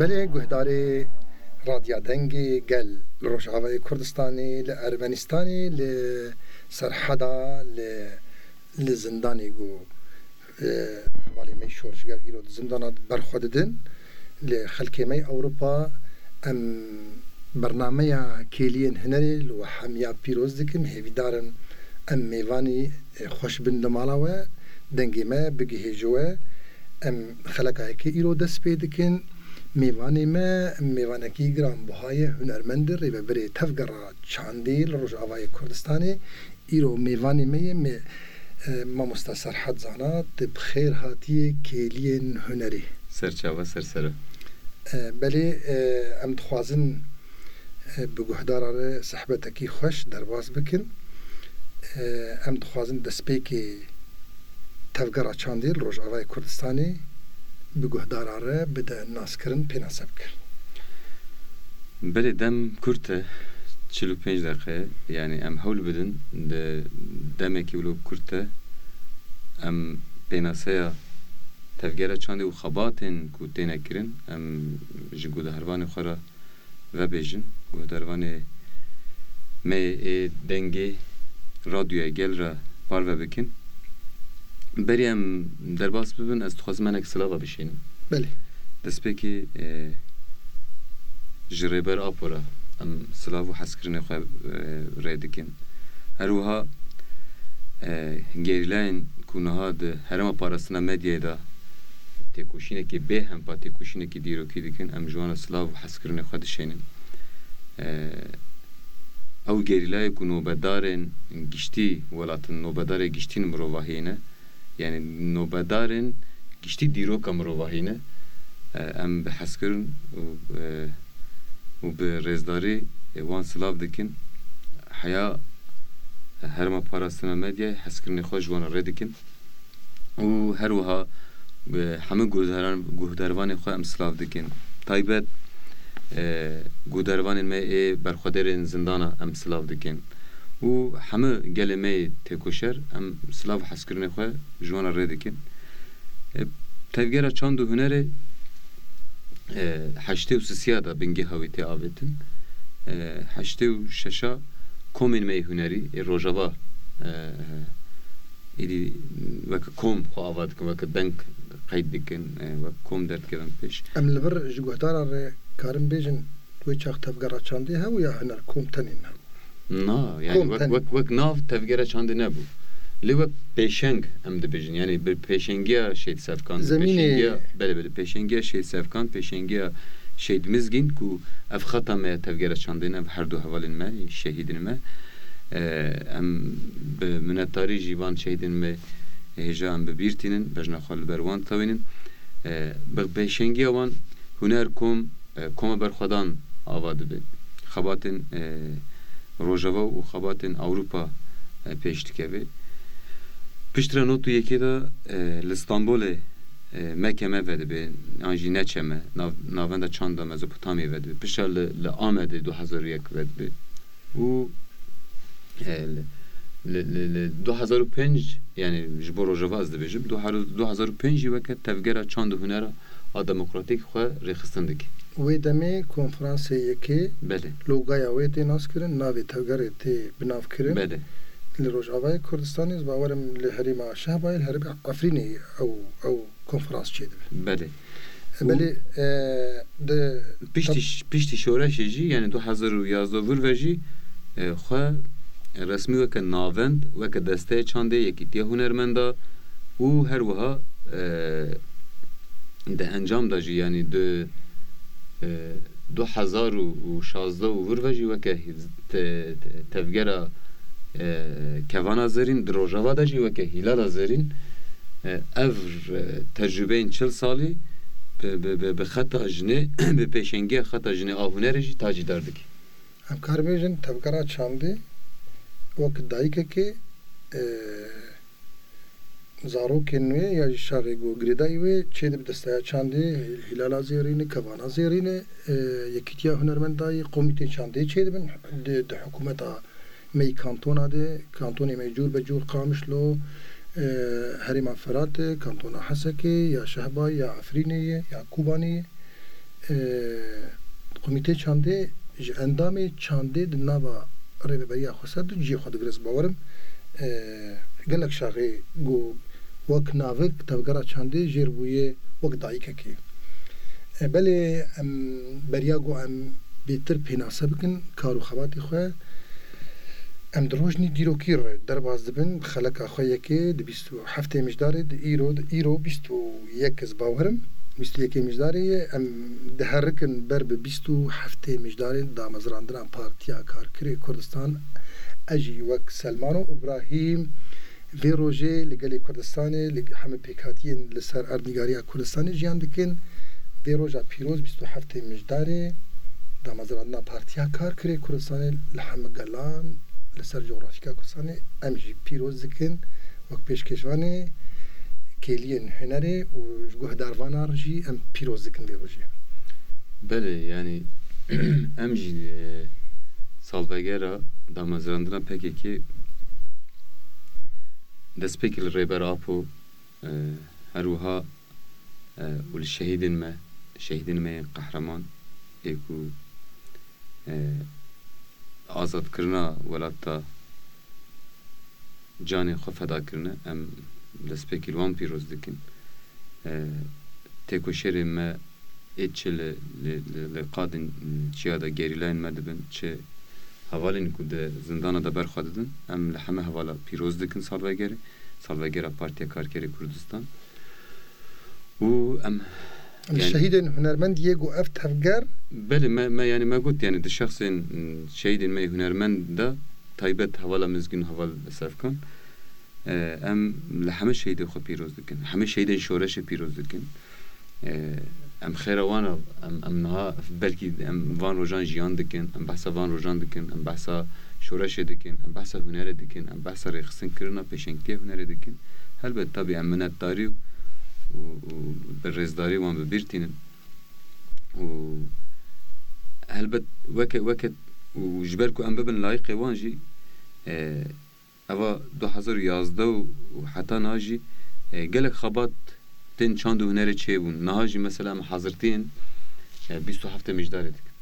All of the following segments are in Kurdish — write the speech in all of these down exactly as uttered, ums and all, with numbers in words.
Belê guhdarê Radya Dengê Gel li Rojavayê Kurdistanê, li Ermenistanê, li Serheda, li, li zindanê ku, e, hevalê me şorişger îro di zindana berxwe didin, li xelkê me Ewropa, em bernameya Kêliyên Hunerê li we hemiya pîroz dikim. Hêvîdar im em mêvanî, e, xweş bin li mala we, dengê me bigihê ji we. Em xeleka yekê îro dest pê dikin. Mêvanê me, mêvanekî giranbiha ye, hunermend e, rêvebirê Tevgera Çandê li Rojavayê Kurdistanê. Îro mêvanê me ye, me, e, mamosta Serhat Zana, tu bi xêr hatiyê Kêliyên Hunerê. Serçava ser sere. E, belê, e, em dixwazin, e, bi guhdaran re sehbetekî xweş derbas bikin. E, em dixwazin destpêkê Tevgera Çandê li Rojavayê Kurdistanê bi guhdaran re bide naskirin, pênase bike. Belê, dem kurt e, çil û pênc deqe, yanî em hewl bidin di demekî wilo kurt de em pênaseya Tevgera Çandê û xebatên ku têne kirin, em ji guhdarvanê xwe re vebêjin, guhdarvanê me ê dengê radyoya gel re parve bikin. Berî em derbas bibin, ez dixwazim hinek silava bişînim. Belê. Destpêkê, e, ji Rêber Apo re em silav û hezkirinê xwe, e, rê dikin. Her wiha, e, gerîlayên ku niha di Herêma Parastina Medyayê de têkoşînekî bê hempa, têkoşînekî dîrokî dikin, em ji wan re silav û hezkirinê xwe dişênin. E, ew gerîlayê ku nobedarên giştî welatin, nobedarê giştî mirovahiyê ne, yanî nobedarên giştî dîroka mirovahî ne, e, em bi hezkirin û, e, û bi rêzdarî, e, wan silav dikin. Heya Herêma Parastina Medyayê hezkirinê xwe ji wan re rê dikin. Û her wiha, e, hemû guhdaran-, guhdarvanên xwe em silav dikin. Taybet, e, guhdarvanên me ê berxwedêrên zindana em silav dikin. Û hemû gelê me yê têkoşer em silav û hezkirinê xwe ji wan re rê dikin. E, Tevgera Çand û Hunerê, e, heştê û sisiya de bingêha wî tê avêtin. E, heştê û şeşa komên me yê hunerî ê Rojava, e, êdî weke kom xwe ava dikin, weke deng qeyd dikin, e, wek kom derdikevin pêş. Em li vir ji guhdaran re karin bêjin, wê çax Tevgera Çandê hebû ya Huner Kom tenê hebû? Na, yani kom wek, tenê. Wek, wek nav Tevgera Çandê nebû. Lê wek pêşeng em dibêjin. Yani bi pêşengiya Şehîd Sevkan, bi zemînê pêşengiya, belê, belê, pêşengiya Şehîd Sevkan, pêşengiya Şehîd Mizgîn ku ev xeta me ya Tevgera Çandê ne, ev her du hevalên me, şehîdên me. E, em bi minetdarî jî van şehîdên me hêja em bi bîr tînin, bejna xwe li ber wan tewînin. E, bi pêşengiya wan Huner Kom, e, koma berxwedan ava dibe. Xebatên, e, Rojava û xebatên Ewropa, e, pêş dikeve. Piştre not û yekê de, e, li Stenbolê, e, meke me vedibe, an jî neçe me, nav-, navenda çanda Mezopotamyê vedibe. Piştre li, li Amedê du hezar û yek vedibe. Û, e, li, li, li, li du hezar û pênc, yani ji bo Rojava ez dibêjim, du hezar, du hezar û pênc jî weke tevgera çand û hunera a demokratîk xwe rêxistin dike. Wê demê konferansê yekê, belê, logaya wê tê naskirin, navê tevgerê tê binavkirin. Belê. Li Rojavayê Kurdistanê, ez bawerim li herêma Şehbayê, li herêma Efrînê ew, ew konferans çêdibe. Belê. Belê, e, di piştî tab- ş-, piştî şoreşê jî, yani du hezar û yazdeh vir ve jî, e, xwe resmî weke navend, weke desteya çandê, yekîtiya hunermenda û her wiha, e, di encam de jî, yani di, e, du hezar û şazdeh û vir ve jî weke te-, te-, tevgera, e, kevana zerîn, di Rojava de jî weke hîlala zerîn, e, ev, e, tecrûbeyên çil salî bi, bi, bi, bi xeta jinê, bi pêşengiya xeta jinê a hunerê jî tacîdar dike. Em kar bêjin tevgera çandê wek dayikekê, e, zarokên wê ya jî şaxê ku girêdayî wê çêdibe desteya çandê, hîlala zêrîne, kevana zêrîne, e, yekîtiya hunermendayî, komîtê çandê çêdibin, di, di hikûmeta me yî kantona de, kantonê me cûr be cûr Qamişlo, e, herêma Firatê, kantona Hesekê, ya Şehbayê, ya Efrînê ye, ya Kobanê ye. Komîtê çandê ji endamê çandê di nava rêveberiya xweser de cihê xwe digire, ez bawer im. E, gelek şaxê ku wek navik tevgera çandê jêr bûye wek dayikekê. E, belê em beriya ku em bêtir pênase bikin kar û xebatê xwe, em di rojnî dîrokî re derbas dibin, bi xeleka xwe yekê di bîst û heftê Mijdarê, di îro, di îro bîst û yek, ez bawer im, bîst û yekê Mijdarê ye. Em diherikin ber bi bîst û heftê Mijdarê damezrandina Partiya Karkerê Kurdistan. Ez jî wek Selmano Ibrahîm vê rojê li gelê Kurdistanê, li heme pêkhatiyên li ser erdnîgariya Kurdistanê jiyan dikin. Vê roja pîroz, bîst û heftê Mijdarê, damezrandina Partiya Karkerê Kurdistanê li heme gelan li ser cografîka Kurdistanê em jî pîroz dikin. Wek pêşkêşvanê kêliyên hunerê û ji guhdarvanan jî em pîroz dikin vê rojê. Belê, yanî em jî, e, salvegera damezrandina P K K destpêkê li Rêber Apo, e, her wiha, e, û li şehîdên me, şehîdên me yên qehreman ê ku, e, azadkirina welata canê xwe feda kirine, em destpêkê li wan pîroz dikin. E, têkoşerên me ê çi li, li, li, li qadên çiya de gerîlayên me dibin, çi hevalên ku di zindana de ber xwe didin, em li heme hevala pîroz dikin salvegerê, salvegera Partiya Karkerê Kurdistan. Û em, Em yanî şehîdên hunermend yê ku ev tevger Belê, me, me, yanî me got, yanî di şexsên, m, şehîdên me yê hunermend de taybet hevala Mizgîn, heval Sefkan, e, em li heme şehîdê xwe pîroz dikin. Heme şehîdên şoreşê pîroz dikin. E, em xêra wan re, em, em niha belkî em van rojan jiyan dikin, em behsa van rojan dikin, em behsa şoreşê dikin, em behsa hunerê dikin, em behsa rêxistinkirina pêşengtiya hunerê dikin. Helbet, tabî em minetdarî û, û, û bi rêzdarî wan bi bîr tînin. Û helbet weke, weke û ji ber ku em bibin layîqê wan jî, e, eva du hezar û yazdeh û, û heta niha jî, e, gelek xebat tên çand û hunerê çêbûn. Niha jî mesela em hazirtiyên, e, bîst û heftê Mijdarê dikin.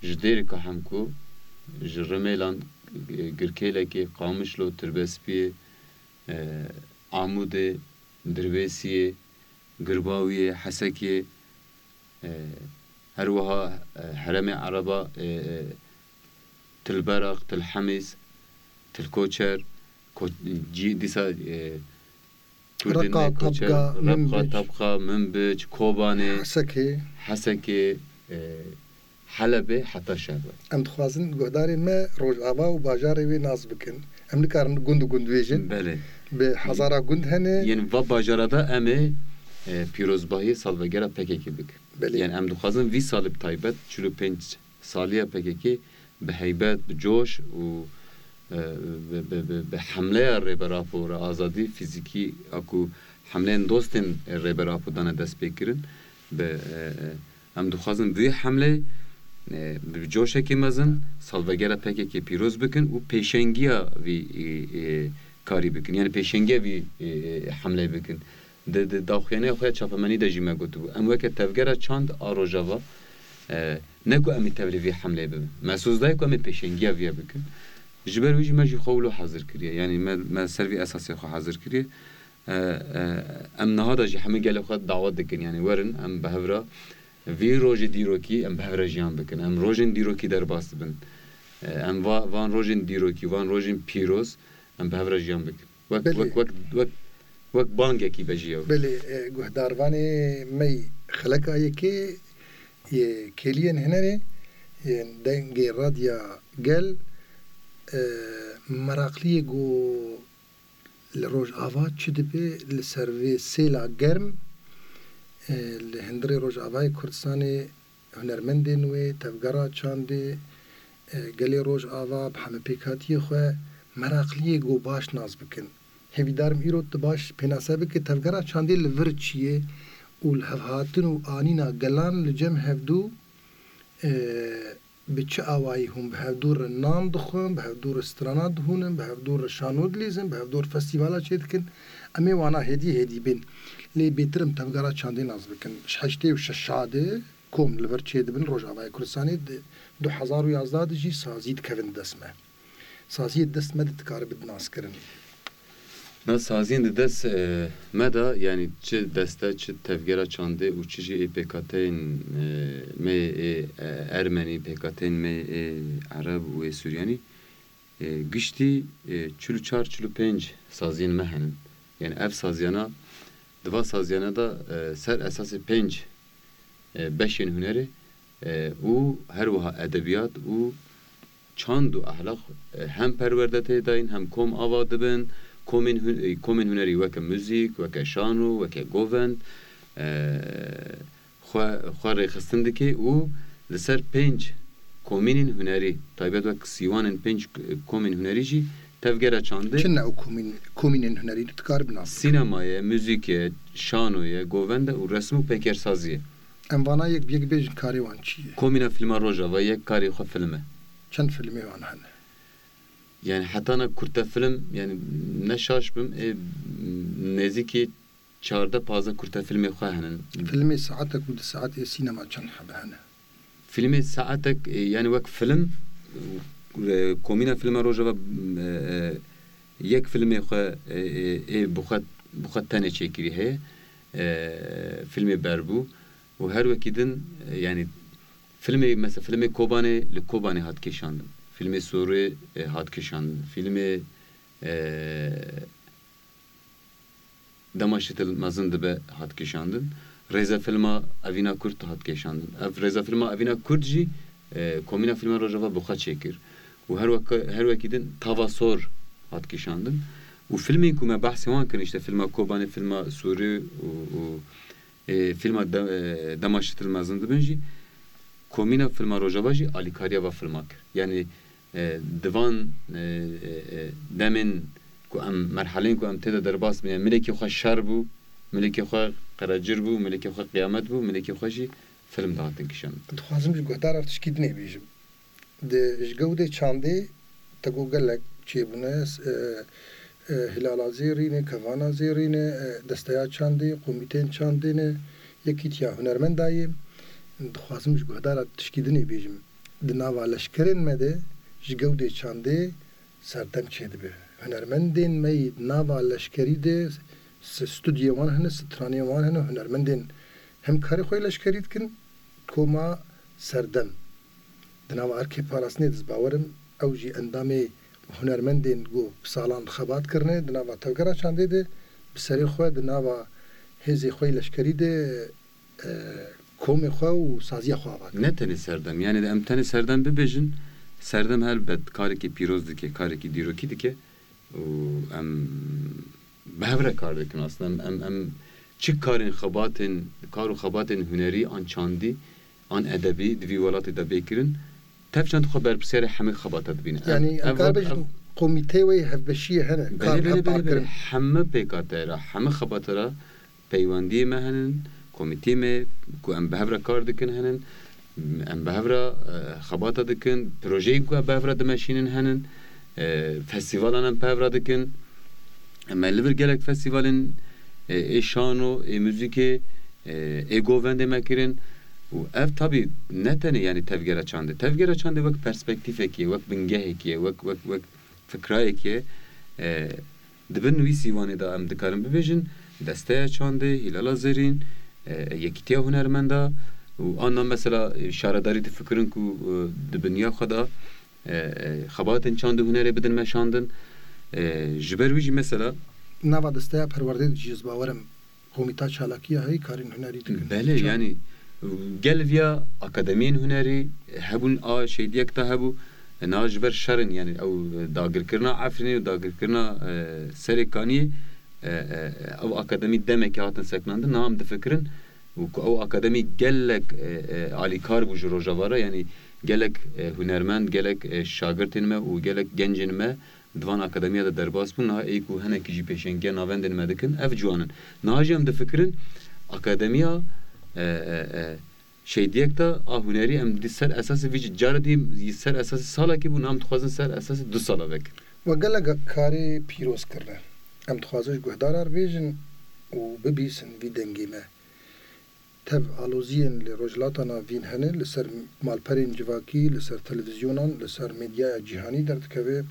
Ji Dêrika Hemko, ji Rimêlan, e, Girkêlekê, Qamişlo, Tirbespiyê, e, Amûdê, Dirbêsiyê, Girbawiyê, Hesekê, e, her wiha, e, herêmê Ereba, e, e, Tilberaq, Tilhemîs, Tilkoçer, Ko-, cî-, dîsa, e, Kurdên Reqa, me Koçer, Tabqa, Reqa, Minbic. Tabqa, Minbic, Kobanê, Hesekê. Hesekê, e, Helebê heta Şerwet. Em dixwazin guhdarên me Rojava û bajarê wê nas bikin. Em nikarin gund û gund bêjin. Belê. Bi hezara gund hene. Yên va bajara de em ê, e, pîrozbahiyê salvegera P K K bikin. Belê. Yanî em dixwazin vî salê bi taybet, çil û pênc saliya P K K bi heybet, bi coş û, e, bi, bi, bi, bi hemleya Rêber Apo re azadî fîzîkî a ku hemleyên dostên Rêber Apo dane destpêkirin, bi, e, e, Em dixwazin bi vî hemlê, e, bi coşekî mezin salvegera P K K pîroz bikin û pêşengiya vî, e, e, karî bikin. Yanî pêşengiya vî, e, e, hemleyê bikin. Di, di daxuyaniyê xwe ya çapemenî de jî me gotibû. Em weke tevgera çand a Rojava, e, ne ku em ê tevlî vî hemleyê bibin. Me soz daye ku em ê pêşengiya vî bikin. Ji ber wî jî me jî xwe wilo hazir kiriye. Yanî me, me ser vî esasê xwe hazir kiriye. E, e, em niha de jî hemî gelê xwe dawet dikin, yanî werin, em bi hev re vî rojê dîrokî em bi hev re jiyan bikin. Em rojên dîrokî derbas dibin. E, em va-, van rojên dîrokî, van rojên pîroz em bi hev re jiyan bikin. Wek, Belê. wek, wek, wek, wek bangekî be ji yew. Belê, e, guhdarvanê me yî xeleka yekê yê Kêliyên Hunerê, yên Dengê Radya Gel, e, meraqliyê ku li Rojava çi dibe li ser vê sêla germ, e, li hundirê Rojavayê Kurdistanê hunermendên wê, tevgera çandê, e, gelê Rojava bi hemepêkhatiyê xwe meraqliyê ku baş nas bikin. Hêvîdar im îro tu baş pênase bike tevgera çandê li vir çi ye û li hevhatin û anîna gelan li cem hevdû, e, bi çi awayî hûn bi hevdû re nan dixwin, bi hevdû re strana dihûnin, bi hevdû re şano dilîzin, bi hevdû re festîvala çêdikin. Em ê wana hêdî hêdî bên. Lê bêtir em tevgera çandê nas bikin. Ji heştê û şeş de kom li vir çêdibin Rojavayê Kurdistanê, di du hezar û yazdeh de jî sazî dikevin di dest me. Saziyê di dest me de dikare bidin naskirin. Na saziyên di dest, e, me de, yanî çi deste, çi tevgera çandê û çi jî ê pêkhateyên, e, me ê, e, ermenî, pêkhateyên me ê ereb û ê suryanî, e, giştî, e, çil û çar, çil û pênc saziyên me henin. Yanî ev saziyana, di va saziyana de, e, ser esasê pênc, e, beşên hunerê, e, û her wiha edebiyat û çand û ehlaq, e, hem perwerde tê dayîn, hem kom ava dibin, komên hun-, e, komên hunerî weke muzîk, weke şano, weke govend, e, xwe, xwe rêxistin dike û li ser pênc komînên hunerî, taybet wek sîwanên pênc komên hunerî jî tevgera çandê. Çi ne ew komîn-, komînên hunerî tu dikarî binasî? Sînema ye, muzîk e, şano ye, govend e û resim û peykersazî ye. Em vana yek bi yek bêjin karê wan çi ye? Komîna Fîlma Rojava yek karê xwe film e. Çend filmê wan hene? Yani hetana kurte film, yani ne şaş bim, ê, nêzîkî çardeh pazdeh kurte filmê xwe henin. Filmê saetek û di saet ê sînema çend hebe hene? Filmê saetek, e, yani wek film, e, komîna filma Rojava, e, e, yek filmê xwe, e, e, ê bi xwe, bi xwe tenê çêkirî heye. E, filmê Berbû û her wekî din, e, yani filmê, mesela filmê Kobanê li Kobanê hat kêşandin. Filmê Sorê, e, hat kêşandin. Filmê, e, Dema şitil mezin dibe hat kêşandin. Rêzefilma Evîna Kurd hat kêşandin. Ev rêzefilma Evîna Kurd jî, e, Komîna Fîlma Rojava bi xwe çêkir. Û her wek-, her wekî din Tava Sor hat kêşandin. Û filmên ku me behsê wan kirin, işte fîlma Kobanê, fîlma Sûrî û, û, e, fîlma de-, e, Dema Şitil Mezin Dibin jî, Komîna Fîlma Rojava jî alîkariya va filma kir. Yanî, e, di van, e, e, e, demên ku em, merheleyên ku em tê de derbas bin, yanî milekê xwe şer bû, milekê xwe qerecir bû, milekê xwe qiyamet bû, milekê xwe jî film dihatin kişandin. Dixwazim ji guhdaran tişkî dinê bêjim. Di, ji gewdê çandê te got gelek çêbûne, e, e, Hilala Zêrîne, Kevana Zêrîne, e, Desteya Çandê, Komîteyên Çandê ne, Yekîtiya Hunermendayê. Dixwazim ji guhdaran tişkî dinê bêjim. Di nava leşkerên me de ji gewdê çandê serdem çêdibe. Hunermendên me yî di nava leşkerî de, s-, studyoyên wan hene, stranên wan hene, hunermendên hem karê xwe yê leşkerî dikin, koma serdem. Di nava erkê parastinê de ez bawer im, ew jî endamê hunermendên ku bi salan xebat kirine, di nava tevgera çandê de, bi serê xwe di nava hêzê xwe yê leşkerî de, e, komê xwe û saziya xwe ava kir. Ne tenê serdem, yani em tenê serdem bibêjin, serdem helbet karekî pîroz dike, karekî dîrokî dike û em bi hev re kar dikin. Aslında em, em, em çi karên xebatên, kar û xebatên hunerî an çandî, an edebî di vî welatê de bê kirin, tev çand xwe berpirsiyarê hemî xebata dibîne. Ev, Yani em ev, kar ev, bêjin ev komîteyê wê hevbeşiyê hene, belê, kar belê, hevpar belê, belê. Kirin. Hemî pêkate re, hemî xebata re peywendiyê me henin, komîteyê me ku em bi hev re kar dikin henin, em bi hev re, e, xebata dikin, projeyên ku em bi hev re dimeşînin henin, e, festîvalan em bi hev re dikin. Em li vir gelek festîvalên, e, ê şano, ê muzîkê, e, ê govendê me kirin. Û ev tabî ne tenê, yani tevgera çandê. Tevgera çandê wek perspektîfekê, wek bingehekê, wek, wek, wek fikrayekê, e, di bin wî sîwanê de em dikarin bibêjin, Desteya Çandê, Hîlala Zerîn, e, Yekîtiya Hunermenda û anna mesela, e, şaredarî difikirin ku, e, di binya xwe de, e, e, xebatên çand û hunerê bidin meşandin. E, ji ber wî jî mesela nava Desteya Perwerdê de jî ez bawer im Komîta Çalakiya heyî karên hunerî dikin. Belê, çand. Yani gel viya akademiyên hunerî hebûn a Şêdiyek de hebû. Niha ji ber şerin, yani ew dagirkirina Efrînê û dagirkirina, e, Serê Kaniyê, e, e, ew akademî demekî hatin sekinandin. Niha em difikirin û ku ew akademî gelek, e, e, alîkar bû ji Rojava re, yani gelek, e, hunermend, gelek, e, şagirtên me û gelek gencên me di van akademiya de derbas bûn, niha ê ku hinekî jî pêşengiya navendên me dikin, ev ciwan in. Niha jî em difikirin akademiya, e, e, e, Şêdiyek de a hunerî em di ser esasê vî jî cara dî ser esasê salekî bû, niha em dixwazin ser esasê du sala vekin. We gelek karê pîroz kirine. Em dixwazin ji guhdaran re bêjin û bibîsin vî dengê me. Tev aloziyên li Rojhilata Navîn hene, li ser malperên civakî, li ser televîzyonan, li ser medyaya cîhanî derdikeve.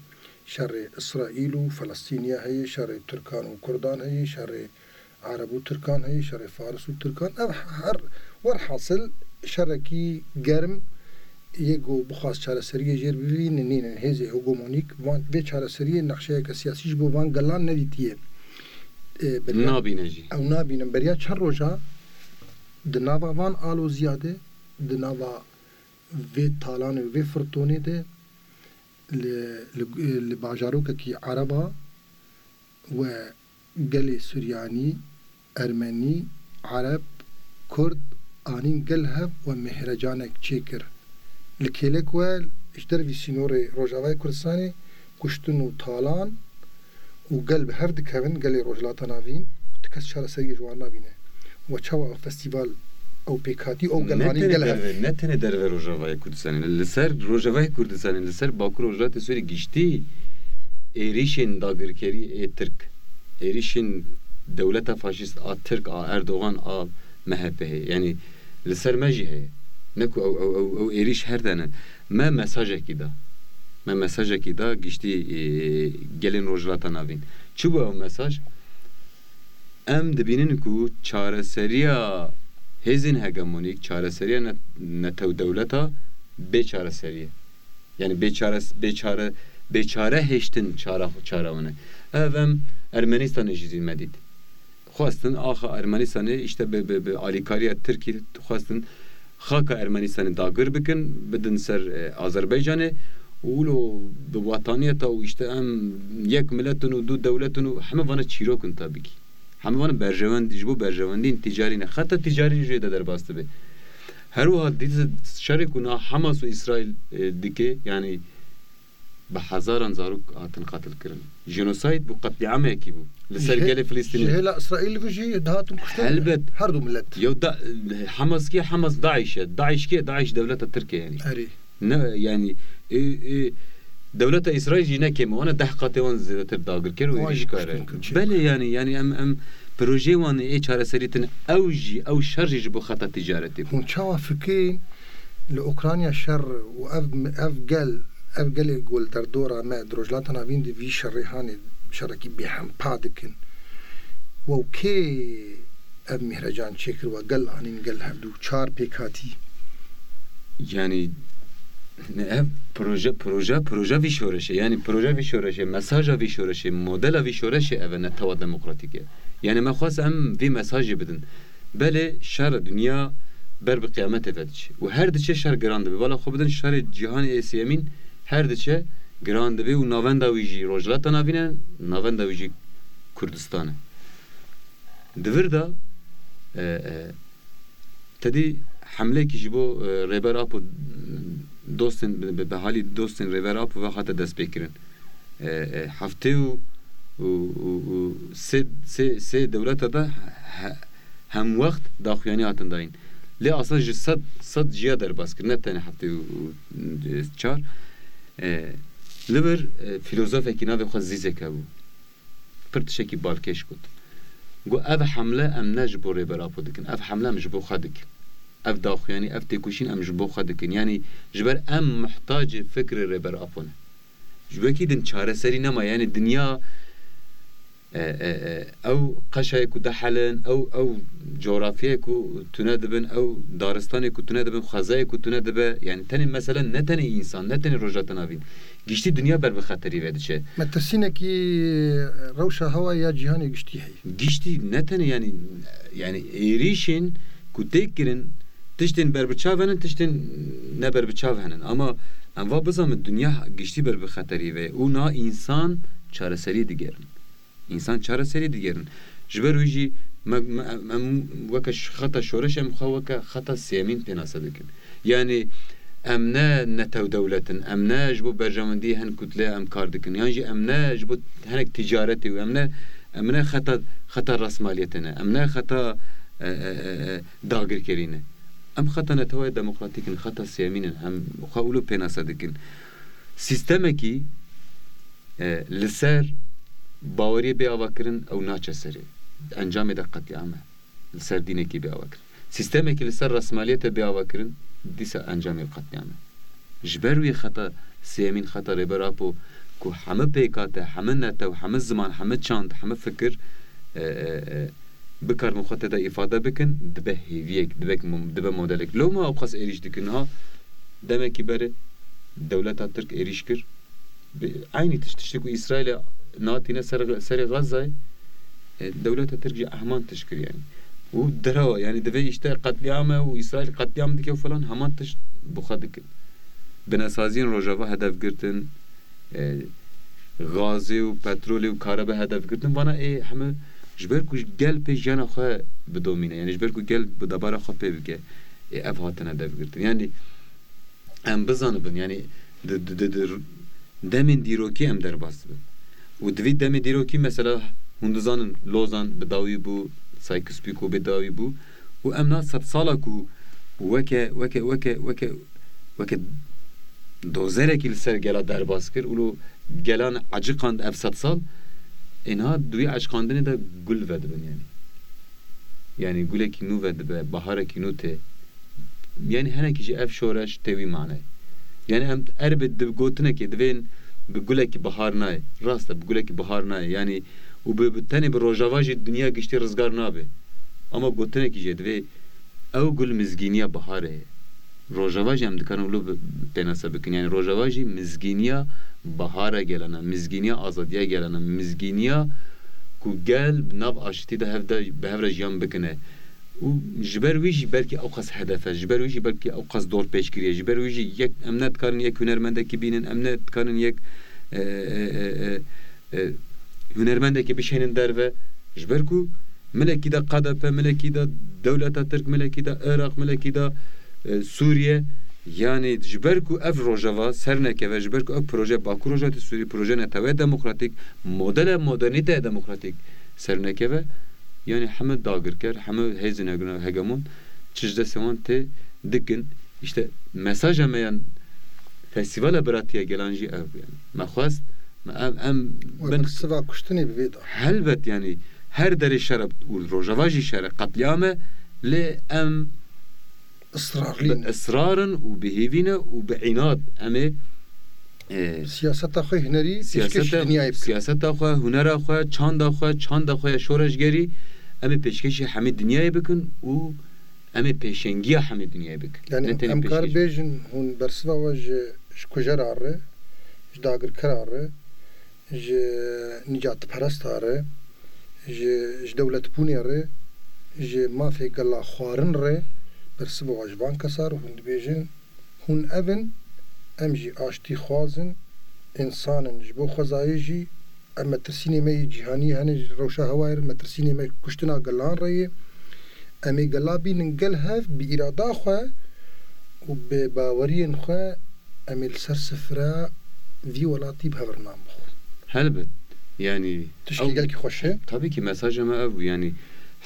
Şerê Îsraîl û Felestîniya heye, şerê Tirkan û Kurdan heye, şerê Ereb û Tirkan heye, şerê Faris û Tirkan. Ev her, werhasil şerekî germ yê ku bixwaz çareseriyê jêr bibînin, nînin. Hêzê hegemonîk van, vê çareseriyê nexşeyeke siyasî ji bo van gelan nedîtiye. E, beriya Nabîne jî. Ew nabînin. Beriya çend roja di nava van aloziya de, di nava vê talan û vê firtonê de li, li, li bajarokekî Ereba we gelê Suryanî, Ermenî, Ereb, Kurd anîn gel hev we mihrecanek çêkir. Li kêlek we ji dervî sînorê Rojavayê Kurdistanê kuştin û talan û gel bi hev dikevin, gelê Rojhilata Navîn, tu kes çareseriyê ji wan nabîne. We çawa ew festîval, ew pêkhatî, ew gel Ne anîn tenê gel hev? derve, ne tenê derve Rojavayê Kurdistanê, li ser Rojavayê Kurdistanê, li ser Bakur Rojhilatê Sûrî giştî êrîşên dagirkerî ê Tirk, êrîşên dewleta faşîst a Tirk, a Erdogan, a M H P heye. Yanî li ser me jî heye. Ne ku ew, ew, ew, ew êrîş her tene. Me mesajekî da. Me mesajekî da giştî, e, gelên Rojhilata Navîn. Çi bû ew mesaj? Em dibînin ku çareseriya hêzên hegemonîk, çareseriya ne-, netewdewleta bê çareserî ye. Yani bê çare, bê çare, bê çare hêştin çara, çara wan e. Ev em Ermenistanê jî zî me dît. Xwestin axa Ermenistanê, işte bi, bi, bi alîkariya Tirkî xwestin xaka Ermenistanê dagir bikin, bidin ser, e, Azerbaycanê û wilo bi wataniyeta û işte em yek milet in û du dewlet in û heme vana çîrok in tabî kî. Heme vana berjewend, ji bo berjewendiyên tîcarî ne. Xeta tîcarî jê de derbas dibe. Her wiha dît şerê ku na Hamas û Îsraîl, e, dike, yanî bi hezaran zarok hatin qetil kirin. Jenosayd bû, qetlîamekî bû. Li ser Ji hê-, gelê Filistînê. Ji hêla Îsraîl ve jî dihatin kuştin Helbet. Her du milet. Yew da, Hamas kî, Hamas DAIŞ e. DAIŞ kî, DAIŞ dewleta Tirk e yanî. Erê. Ne, yanî, e, e, dewleta Îsraîl jî ne kêm e. Wana deh qatê wan zêdetir dagir kir û Wan êrîşkar e. kuştin kir, çi Belê kir. yanî, yanî em, em projeyê wan ê çareserî tine. Ew jî, ew şer jî ji bo xeta tîcaretê bû. Hûn çawa fikirên li Ukrayna şer û ev, ev gel, ev gelê ku li derdora me di Rojhilata Navîn de vî şerê hanê şerekî bêhempa dikin? Wew kê ev mîhrecan çêkir we gel anîn gel hevdû çar pêkhatî? Yanî ev proje, proje, proje vî şoreşê. Yanî proje vî şoreşê, mesaja vî şoreşê, modela vî şoreşê ev e, netewa demokratîk e. Yanî me xwest em vî mesajê bidin. Belê şer dinya ber bi qiyametê ve diçe. Û her diçe şer giran dibe. Bala xwe bidin şerê cîhanê ê sêyemîn her diçe giran dibe û navenda wî jî Rojhilata Navîn e, navenda wî jî Kurdistan e. Di vir de, e, e, te dî hemleyekî ji bo, e, Rêber Apo dostên, bi, bi, bi halî dostên Rêber Apo ve hate destpêkirin. E, e, heftê û, û, û, û sê, sê, sê dewleta de he-, hemwext daxuyanî hatin dayîn. Lê aslan ji sed, sed ciya derbas kir, ne tenê heftê û, û, e, çar. E, li vir, e, filozofekî navê xwe Zîzek hebû. Pir tiştekî balkêş got. Got, ev hemle em ne ji bo Rêber Apo dikin, ev hemle em ji bo xwe dikin. Ev daxuyanî, ev têkoşîn em ji bo xwe dikin. Yanî ji ber em muhtacê fikrê Rêber Apo ne. Ji wekî din çareserî nema. Yanî dinya, e, e, e, ew qeşayê ku dihelin, ew, ew coğrafyayê ku tune dibin, ew daristanê ku tune dibin, xwezayê ku tune dibe, yanî tenê mesele ne tenê însan, ne tenê Rojhilata Navîn. Giştî dinya ber bi xeterî ve diçe. Metirsînekî rewşa hewayê ya cîhanê giştî heye. Giştî ne tenê yanî, yanî êrîşên ku tê kirin, tiştên berbiçav henin, tiştên ne berbiçav henin. Ama em va bizanin dinya giştî ber bi xeterî ve ye û niha însan çareserî digerin. Însan çareserî digerin. Ji ber wî jî me, me, em, em weke ş-, xeta şoreş em xwe weke xeta sêyemîn pênase dikin. Yanî em ne netew dewlet in, em ne ji bo berjewendiyê hin kutle em kar dikin, yan jî em ne ji bo hinek ticaretê û em ne, em ne xeta, xeta rasmaliyetê ne, em ne xeta, e, e, e, e, dagirkerî ne. Em xeta netewayê demokratîk in, xeta sêyemîn in, em xwe wilo pênase dikin. Sîstemekî, e, li ser baweriyê bê avakirin ew naçe serê. Encamê de qetlîam e. Li ser dînekî bê avakirin. Sîstemekî li ser resmaliyete bê avakirin, dîsa encamê qetlîam e. Ji ber wî xeta sêyemîn, xeta Rêber Apo, ku hemû pêkate, hemû netew, hemû ziman, hemû çand, hemû fikir, e, e, e, bikarin xwe tê de îfade bikin, dibe hêviyek, dibe, dibe modelek. Lewma ew qas êrîş dikin, ha, demekî berê dewleta Tirk êrîş kir, bi eynî tişt, tiştê ku Îsraîlê natîne ser, serê Xezzayê, e, dewleta Tirk jî heman tişt kir, yanî. Û derewa, yanî divê îşte qetlîam e û Îsraîl qetlîam dike û falan, heman tişt bi xwe dikin. Binesaziyên Rojava hedef girtin, e, gazê û petrolê û karebe hedef girtin. Vana ê heme ji ber ku gel pê jiyana xwe bidomîne, yanî ji ber ku gel bi debara xwe pê bike, ê ev hatine hedef girtin. Yanî em bizanibin, yanî di, di, di, di demên dîrokî em derbas dibin. Û di vî demê dîrokî, mesela, hûn dizanin Lozan bi dawî bû, Sykes-Picot bi dawî bû. Û em na sedsala ku weke, weke, weke, weke, weke dozerekî li ser gela derbas kir û lo gelan eciqand ev sedsal, ê niha di wî eciqandinê de gul vedibin, yanî. Yanî gulekî nû vedibe, baharekî nû tê. Yanî henekî jî ev şoreş tê wî maneyê. Yanî em erbê di gotinekê divên bi gulekî bihar nayê. Rast e, bi gulekî bihar nayê. Yanî û bi, bi tenê bi Rojava jî dinya giştî rizgar nabe. Ama gotinekî jê divê ew gul mizgîniya biharê ye. Rojava jî em dikarin wilo bi, bi pênase bikin. Yanî Rojava jî mizgîniya bihara gelana, mizgîniya azadiya gelana, mizgîniya ku gel bi nav aştî de hev de, bi hev re jiyan bikine. Û ji ber wî jî belkî ew qas hedef e, ji ber wî jî belkî ew qas dorpêçkirî ye, ji ber wî jî yek, em nedikarin yek hunermendekî bînin, em nedikarin yek, e, e, e, e, e, hunermendekî bişênin derve. Ji ber ku milekî de K D P, milekî de dewleta Tirk, milekî de Iraq, milekî de, e, Sûriye, yanî ji ber ku ev Rojava ser nekeve, ji ber ku ev proje Bakur Rojhilatê Sûrî, proje neteweye demokratîk, modele modernîteye demokratîk ser nekeve, yanî hemû dagirker, hemû hêzên hege-, hegemon çi ji destê wan tê dikin. Îşte mesaja me yan festîvala biratiya gelan jî ev bû, yanî. Me xwest, me ev, em Wek bin siva kuştinê bi vê de. Helbet, yanî her derê şer e û Rojava jî şer e, qetlîam e, lê em Israrlî bi ne. Israr in û bi hêvî ne û bi înad em ê, e, Siyaseta xwe hunerî pêşkêşî siyaseta, dinyayê bikin. Siyaseta xwe, hunera xwe, çanda xwe, çanda xwe ya şoreşgerî em ê pêşkêşî hemî dinyayê bikin û em ê pêşengiya hemî dinyayê bikin. Yanî Ne tenê em kar pêşkêş bêjin, hûn bersiva we ji, ji kujera re, ji dagirkera re, ji nîcatperesta re, ji, ji dewletbûnê re, ji mafê gela xwarin re, bersiva we ji van kesa re hûn dibêjin, hûn ev in, em jî aştîxwaz in, însan in, ji bo xwezayê jî, em metirsînê me yê cîhanî hene ji rewşa hewayê re, metirsînê me kuştina gelan re ye. Em ê gela bînin gel hev bi îrada xwe û bi baweriyên xwe em ê li ser sifra vî welatî bi hev re nan bixwin. Helbet. Yanî Tiştê ew gelkî xweş e. Tabii ki mesaja me ev bû. Yanî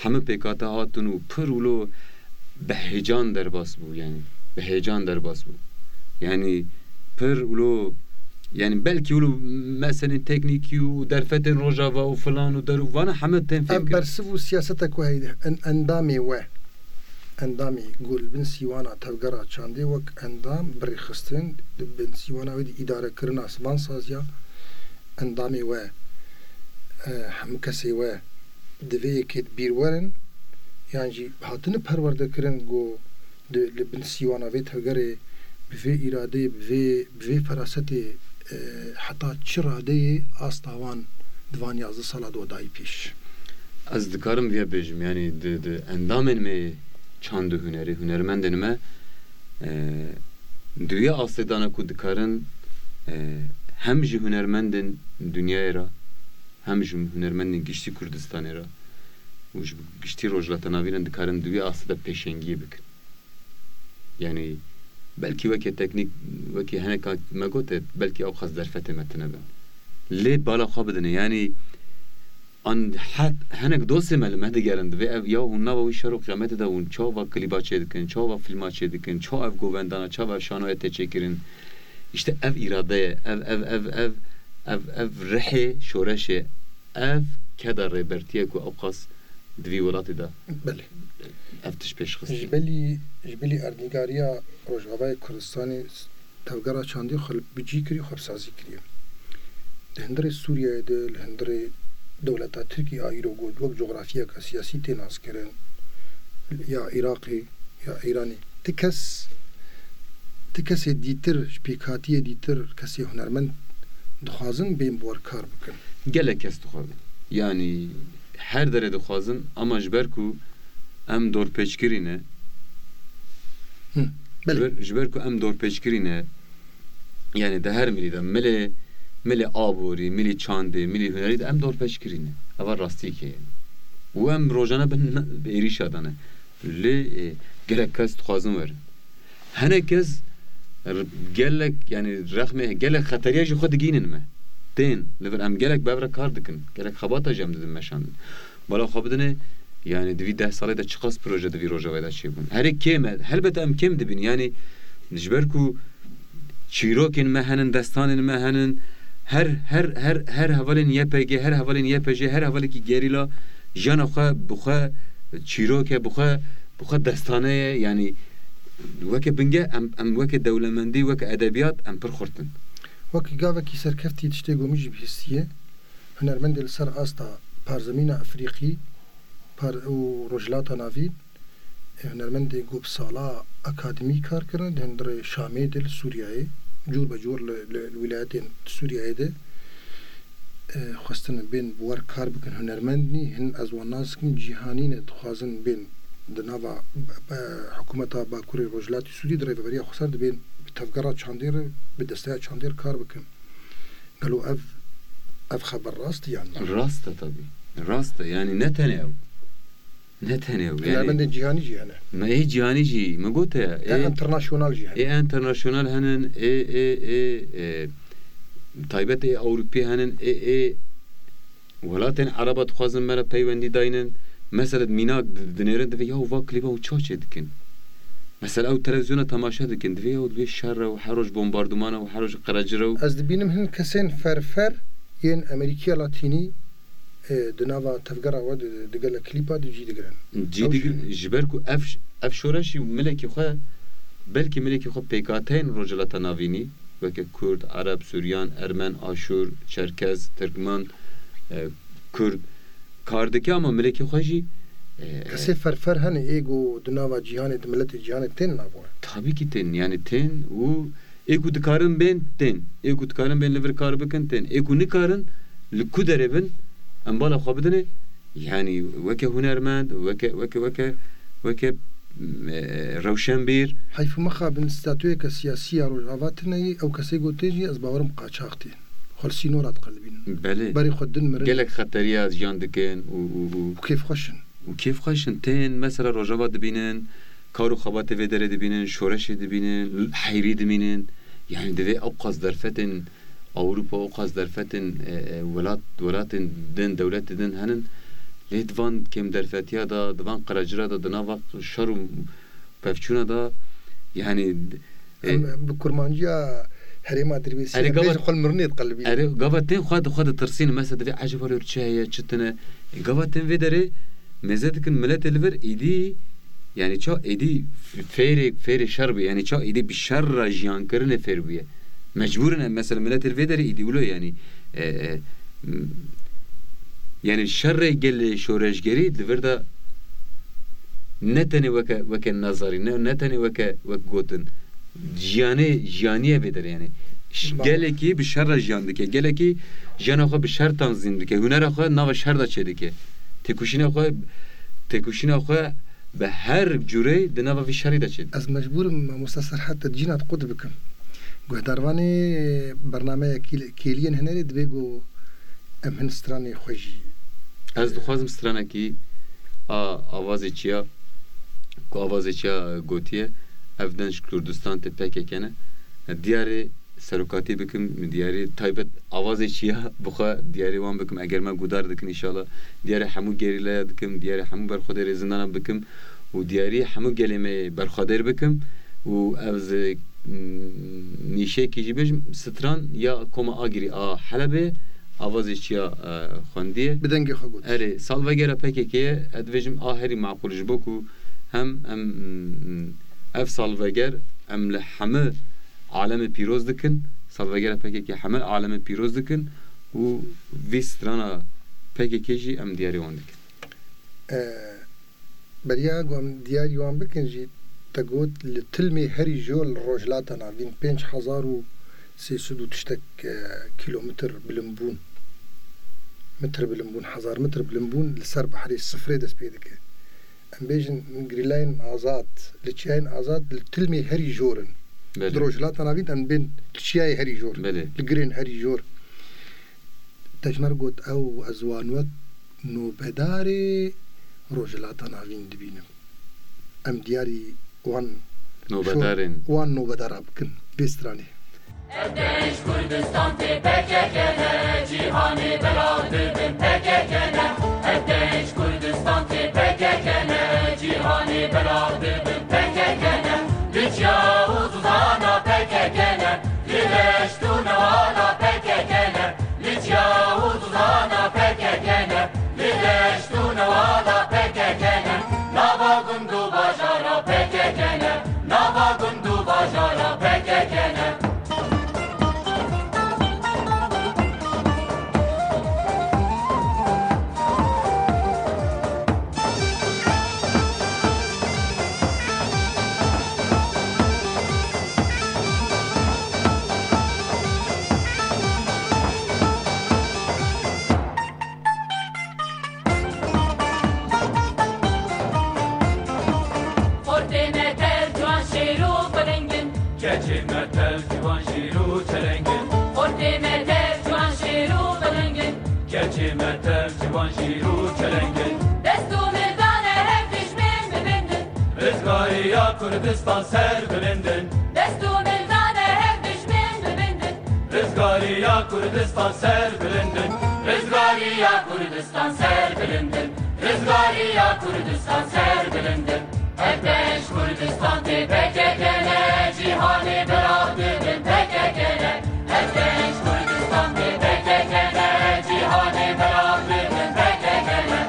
hemû pêkate hatin û pir wilo bi heyecan derbas bû. Yanî bi heyecan derbas bû. Yanî pir wilo, yanî belkî wilo meselên teknîkî û derfetên Rojava û filan û der û vana hemû tên fêm Ev kirin. Bersiv û siyaseta ku heyde en-, endamê we, endamê ku li bin sîwana tevgera çandê wek endam bi rêxistin, di bin sîwana wê de îdarekirina van saziya, endamê we, e, hemû kesê we di vê yekê de bîr werin, yan jî hatine perwerdekirin ku di, li bin sîwana vê tevgerê bi vê îradeyê, bi vê, bi vê ferasetê, e, heta çi radeyê asta wan di van yazdeh sala de dayî pêş? Ez dikarim vê bêjim, yanî di, di endamên me çand û hunerî, hunermendên me, e, di wê astê de ne ku dikarin, e, hem ji hunermendên dinyayê re, hem ji hunermendên giştî Kurdistanê re û ji giştî Rojhilata Navîn re dikarin di wê astê de pêşengiyê bikin. Yanî belkî weke teknîk, wekî heneka me gote, belkî ew qas derfetê me tune bin. Lê bala xwe bidine. Yanî an het, hinek dostê me li me digerin, divê ev ya hûn nava wî şer û qiyametê de hûn çawa klîba çêdikin, çawa fîlma çêdikin, çawa ev govendana, çawa ev şanoya tê çêkirin. Îşte ev îrade ye, ev, ev, ev, ev, ev, ev rihê şoreşê, ev keda rêbertiye ku ew qas di vî welatê de Belê. ev tişt pêş xistî. Ji belî, ji belî erdnîgariya Rojavayê Kurdistanê tevgera çandê xwe bi cî kirî, xwe bi sazî kiriye. Di hundirê Sûriyeyê de, li hundirê dewleta Tirkî a îro got wek cografiyeke siyasî tê naskirin, ya Iraqê, ya Îranê. Ti kes, ti kesê dîtir, ji pêkhatiyê dîtir, kesê hunermend dixwazin bên bi we re kar bikin. Gelek kes dixwazin. Yanî her derê dixwazin, ama ji ber ku em dorpêçkirî ne. Hı, belê. Ji ber, ji ber ku em dorpêçkirî ne, yanî di her milî de, milê, milê aborî, milî çandê, milî hunerî de em dorpêçkirî ne. Eva rastiyekê ye. Û em rojane bin, bi êrîşa de ne. Lê, e, gelek kes dixwazin werin. Hinek kes r-, gelek, yanî rexmê, gelek xeteriya jî xwe digihînin me. Tên, li vir em gelek bi hev re kar dikin. Gelek xebata jî em didin meşandin. Bala xwe bidinê, yanî di vî deh salê de çiqas proje di vî rojavayê de çêbûn. Herê kêm e, helbet em kêm dibin. Yanî ji ber ku çîrokên me henin, destanên me henin, her, her, her, her hevalên Y P G, her hevalên Y P J, her hevalekî gerîla jiyana xwe bi xwe çîrok e, bi xwe, bi xwe destane ye. Yanî weke bingeh em, em weke dewlemendî, weke edebiyat em pir xurt in. Wekî gavekî serkeftî tiştê ku min jî bihîstiye, hunermendê li ser asta parzemîna Efrîqî, par-, û Rojhilata Navîn, e, hunermendê ku bi sala akademî kar kirin, di hundirê Şamê de, li Sûriyeyê, cûr be cûr li, li, li wîlayetên Sûriyeyê de, e, xwestin bên bi wer kar bikin, hunermend nî, hin ez wan nas dikim, cîhanî ne, dixwazin bên di nava, be, be, hikûmeta Bakurê Rojhilatê Sûriyê di rêveberiya xweser dibên bi tevgera çandê re, bi desteya çandê re kar bikin. Gelo ev, ev xeber rast e yan na? Rast e tabî. Rast e. Yanî ne tenê ew. Ne tenê ew. Yanî hunermendên cîhanî jî hene. Me ê cîhanî jî, me gote ya. Ê Ê, internasyonal jî hene. Ê internasyonal henin, ê, ê, ê, ê, taybet ê Ewropî henin, ê, ê welatên Ereba dixwazin me re peywendî daynin. Mesela mînak di-, dinêrin, divê ya va klîba û ça çê dikin. Mesela ew televîzyona temaşe dikin, divê ya divê şer e û her roj bombarduman e û her roj qerecir e û Ez dibînim hin kesên ferfer yên Amerîkiya Latînî, e, di nava tevgera we di, di gelek klîpa di cî digirin. Cî Ew digir-, jî ji ber ku ev, ev şoreşî milekî xwe, belkî milekî xwe pêkhateyên Rojhilata Navînî, weke Kurd, Ereb, Suryan, Ermen, Aşûr, Çerkez, Tirkmen, e, Kurd kar dike, ama milekî xwe jî, e, Kesê ferfer hene ê ku di nava cîhanê, di miletê cîhanê tên nava we? Tabî kî tên, yanî tên û ê ku dikarin bên tên, ê ku dikarin bên li vir kar bikin tên, ê ku nikarin li ku derê bin, em bala xwe bidinê, yanî weke hunermend, weke, weke, weke, weke, e, rewşenbîr. Heyf û mixabin statuyeke siyasî ya Rojava tune ye, ew kesê ku tê jî ez bawerim qaçax tê. Xwe li sînora diqelibînin. Belê. Berê xwe din mirin. Gelek xeteriya jiyan dikin û, û, û Û kêfxweş in. Û kêfxweş in. Tên mesela Rojava dibînin, kar û xebatê vê derê dibînin, şoreşê dibînin, heyrî dimînin. Yanî divê ew qas derfetên Ewropa, ew qas derfetên, e, e, welat, welatên din, dewletê din henin. Lê di van kêmderfetiya de, di van qerecira de, di nava şer û pevçûna de, yanî, e, Em bi kurmanciya herêma Dirbêsiyê Erê, em gava bêjin xwe li mirinê diqelibînin. Erê, gava tên xwe di xwe ditirsînin. Mesela divê ecêba lê çi heye, çi tune. E, gava tên vê derê mêze dikin miletê li vir êdî, yanî ça êdî f-, fêrê, fêrê şer bû. Yanî ça êdî bi şer re jiyankirinê fêr bûye. Mecbûr in em mesela miletê li vê derê êdî wilo yanî, e, e, m-, yanî şerê gelê şoreşgerî di vir de ne tenê weke, weke nazarî, ne, ne tenê weke, wek gotin. Jiyanê, jiyaniye vê derê yanî. Ş-, Baba. Gelekî bi şer re jiyan dike, gelekî jiyana xwe bi şer tanzîm dike, hunera xwe nava şer de çêdike. Têkoşîna xwe, têkoşîna xwe bi her cûreyê di nava vî şerî de çêdike. Ez mecbûr im, mamosta Serhat, te cîna te qut bikim. Guhdarvanê bernameya Kêl-, Kêliyên Hunerê divê ku em hin stranê xwe jî Ez dixwazim stranekî a Avazê Çiya, ku Avazê Çiya gotiye, ev den ji Kurdistan tê P K K ne. Diyarê serokatî bikim, diyarê taybet Avazê Çiya bi xwe diyarê wan bikim. Eger me guhdar dikin, înşallah diyarê hemû gerîlaya dikim, diyarê hemû berxwedêrê zindana bikim û diyarî hemû gelê me yê berxwedêr bikim û ez, e, nîşeyekî jî bêjim, stran ya Koma Agirî a Helebê, Avazê Çiya, e, xwendiye. Bi dengê xwe got. Erê, salvegera P K K ye, ez dibêjim a herî maqûl ji bo ku Hem em, ev salveger em li heme alemê pîroz dikin, salvegera P K K heme alemê pîroz dikin û vê strana P K K jî em diyarî wan dikin. E, Beriya ku em diyarî wan bikin jî, te got li tilmê herî jor li Rojhilata Navîn pênc hezar û sê sed û tiştek, e, kîlometr bilimbûn, metr bilimbûn, hezar metr bilimbûn li ser behrê sifrê dest pê dike. Em bêjin girîlayên azad, li çiyayên azad li tilmê herî jor in. Belê. Di Rojhilata Navîn em bên li çiyayê herî jor, Belê. li girên herî jor. Te ji me re got ew, ez wan wek nobedarê Rojhilata Navîn dibînim. Em diyarî wan Nobedarên. şo-, wan nobedara bikin vê stranê. Ev dev ji Kurdistan tê P K K ne, cîhanê belav dibin P K K ne. Ev dev ji Kurdistan tê P K K ne, cîhanê belav dibin P K K ne. Li çiya û zozana P K K ne, li deşt û newala P K K ne. Li çiya û zozana P K K ne, li deşt û newala P K K ne, nava gund û bajara P K K ne, nava gund û bajara P K K ne. Xortê me tev ciwan şêr û piling in. Keçê me tev ciwan şêr û çeleng in. Xortê me tev ciwan şêr û piling in. Keçê me tev ciwan şêr û çeleng in. Dest û mil dane hev dijmin bibindin. Rizgariya Kurdistan ser bilindin. Dest û mil dane hev dijmin bibindin. Rizgariya Kurdistan ser bilindin. Rizgariya Kurdistan ser bilindin. Rizgariya Kurdistan ser bilindin. Ev dev ji Kurdistan tê P K K ne, cîhanê belav dibin P K K ne. Ev dev ji Kurdistan tê P K K ne, cîhanê belav dibin P K K ne.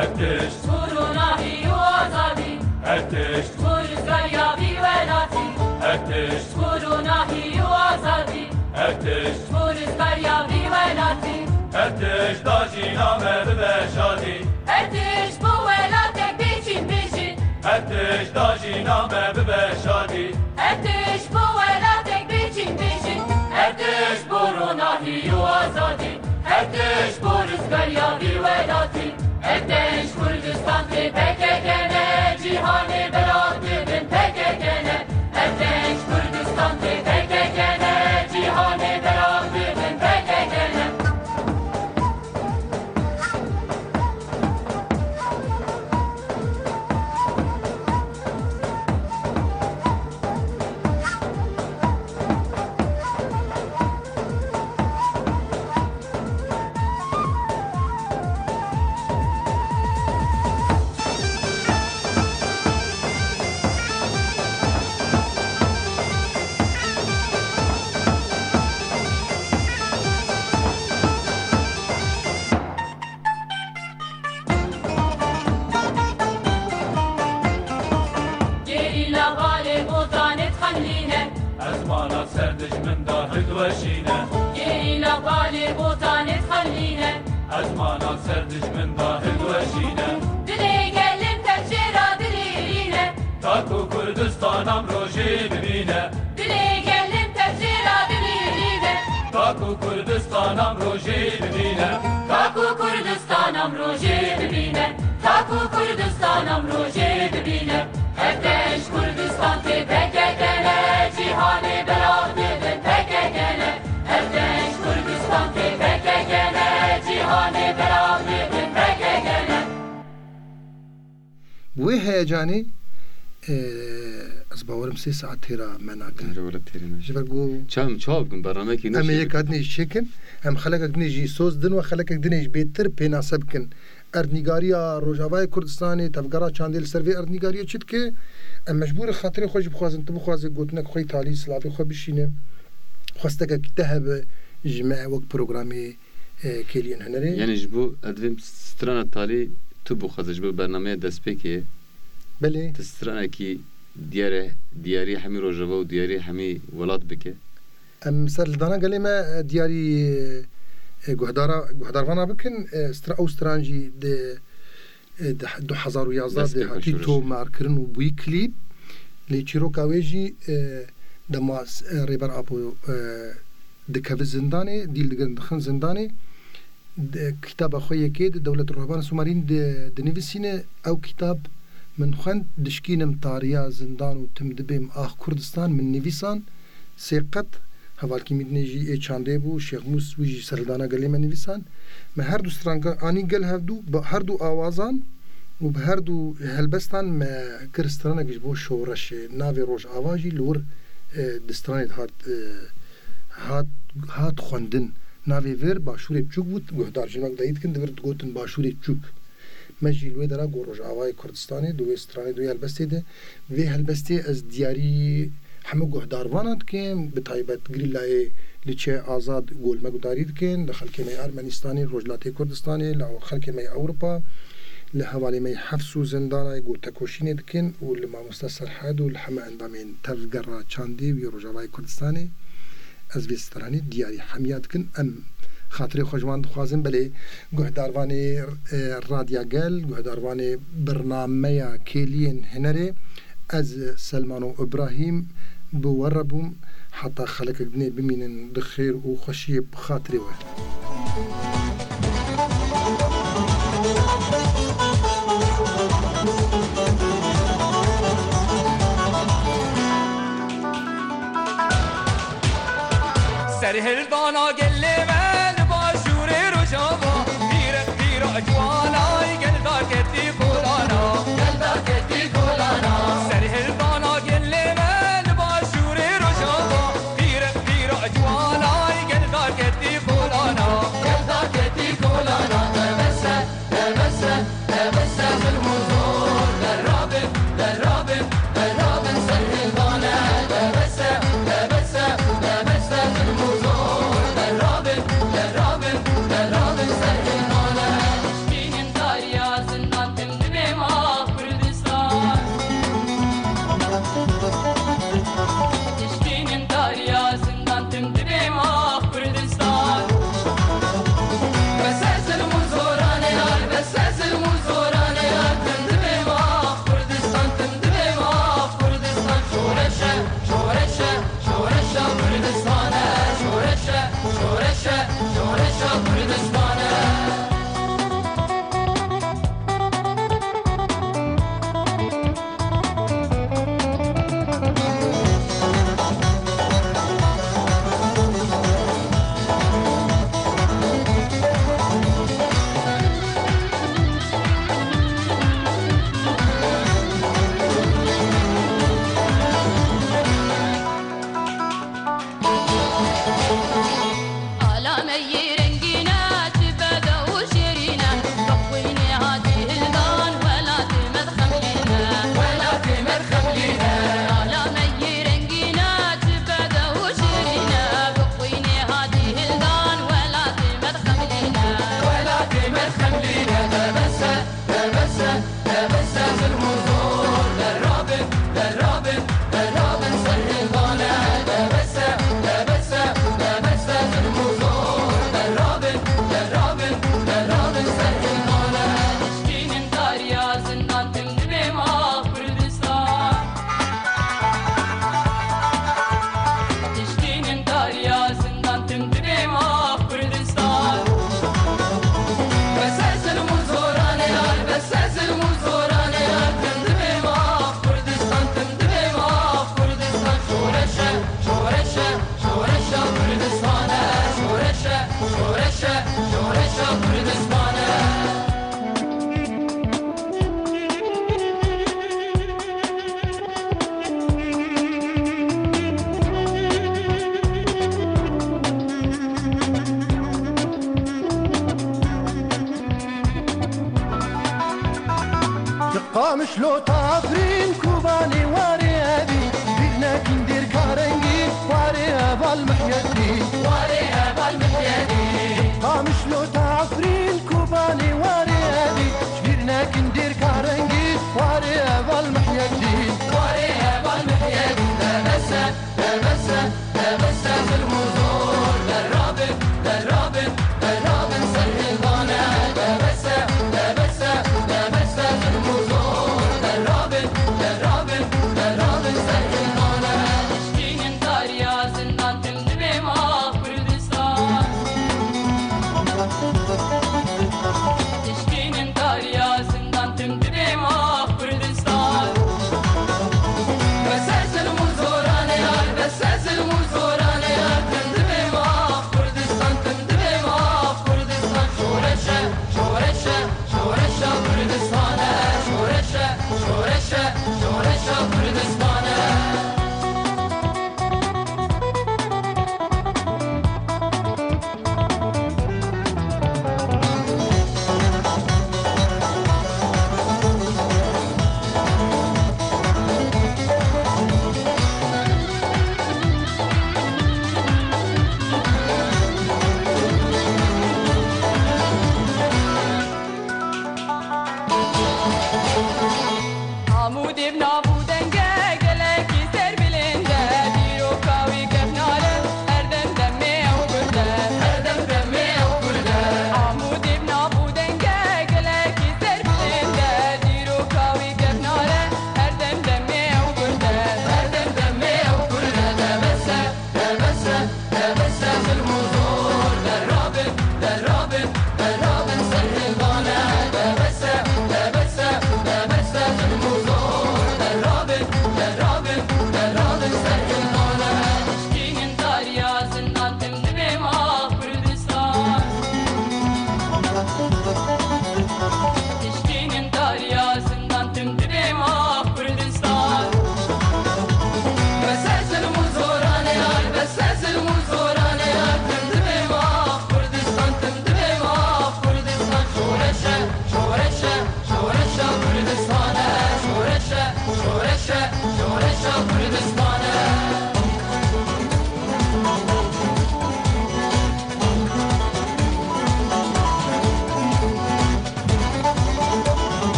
Her tişt. Korona hî û azadî. Her tişt. Ji bo rizgariya vî welatî. Her tişt. Ji bo ronahî û azadî. Her tişt. Ji bo rizgariya vî welatî. Her tişt da jîna me bibe şadî. Her tişt bo welatek bê çîn bijî. Her tişt da jîna me bibe şadî. Her tişt bo welatek bê çîn bijî. Her tişt bo ronahî û azadî. Her tişt bo rizgariya vî welatî. Ev dev ji Kurdistan tê P K K ne, cîhanê belav dibin P K K ne. Ev dev ji Kurdistan tê P K K ne, cîhanê belav dibin P K K ne. Gerîla balê botanê dixemlîne. Ezmana ser dijmin da hildiweşîne. Gerîla balê botanê dixemlîne. Ezmana ser dijmin da hildiweşîne. Dilê gelin tev jê ra dilîrîne. Ta ku Kurdistan amrojê bibîne. Dilê gelin tev jê ra dilîrîne. Ta ku Kurdistan amrojê bibîne. Ta ku Kurdistan amrojê bibîne. Ta ku Kurdistan amrojê bibîne. Ev dev ji Kurdistan tê P K K ne, cîhanê belav dibin P K K ne. Wê heyecanê, e, ez bawerim sê saet têra me nakin. Erê wele têrê me. Ji ber ku Çawa em çawa bikin bernameyekî em ê nişî yeka bikin. Dinê jî çêkin, em xelekek dinê jî soz din we xelekek dinê jî bêtir pênase bikin. Erdnîgariya Rojavayê Kurdistanê, tevgera çandê li ser vê erdnîgariyê çi dike? Em mecbûr in xatirê xwe jî bixwazin, tu bixwazê gotinek xwe yî talî silavê xwe bişîne. Xwestekek te hebe ji me wek programê, e, Kêliyên Hunerê. Yani ji bo ez divêm strana talî tu bixwaze ji bo bernameya destpêkê. Belê. Tu stranekî diyare, diyarî hemî Rojava û diyarî hemî welat bike. Em ser li dana gelê me, e, diyarî, e, guhdara, guhdarvana bikin. E, stra-, ew stran jî di, e, di du hezar û yazdeh de Destpêka hatî şoreşê. Tomarkirin û bûyî klîp. Lê çîroka wê jî, e, dema s-, e, Rêber Apo, e, dikeve zindanê, dîl digirin dixin zindanê. Di kitaba xwe yekê di Dewlet Ruhban Sumarîn di, dinivîsîne, ew kitab min xwend, dişkînim tariya zindan û tim dibêm ax Kurdistan, min nivîsan, sê qet, hevalkî min dinê jî ê çandê bû, Şêx Mûs wî jî serhildana gelê me nivîsan. Me her du stranga anî gel hevdu, bi her du awazan û bi her du helbestan me kir stranek ji bo şoreşê. Navê Rojava jî li wir, e, di stranê de hat, e, hat, hat xwendin. Navê vir Başûrê Biçûk bû, guhdar jî wek dayî dikin, di vir digotin Başûrê Biçûk. Me jî li wê dera got Rojavayê Kurdistanê, di wê stranê, di wê helbestê de. Vê helbestê ez diyarî hemû guhdarvanan dikim, bi taybet Grîlayê Liçe Azad got li me guhdarî dikin, li xelkê me yê Ermenîstanê, Rojhilatê Kurdistanê, li xelkê me yê Ewropa, li hevalê me yê hefs û zindana got tekoşînê dikin û li mamoste Serhed û li heme endamên tevgera çandê û yê Rojavayê Kurdistanê. Ez vê stranê diyarî hemiya dikin. Em xatirê xwe ji wan dixwazin, belê guhdarvanê, e, Radya Gel, guhdarvanê bernameya Kêliyên Hinerê, ez Selmano Ibrahîm bi we re bûm. Heta xelekek dinê bimînin di xêr û xweşiyê bi xatirê we. Serhildana gelê me li başûrê Rojava, pîrex pîra ciwana, gel derketî kolana, gel derketî kolana. Serhildana gelê me li başûrê Rojava, pîrex pîra ciwana, gel derketî kolana, gel derketî kolana. Tebesse, tebesse, tebesse, zulm û zor derabin, derabin, derabin, serhildane. Tebesse, tebesse, tebesse, zulm û zor derabin. Qamişlo Tafrîn Kubanê warê evî, bîr nekîn dêr karengî, warê heval Mihyedîn. Warê heval Mihyedîn. Qamişlo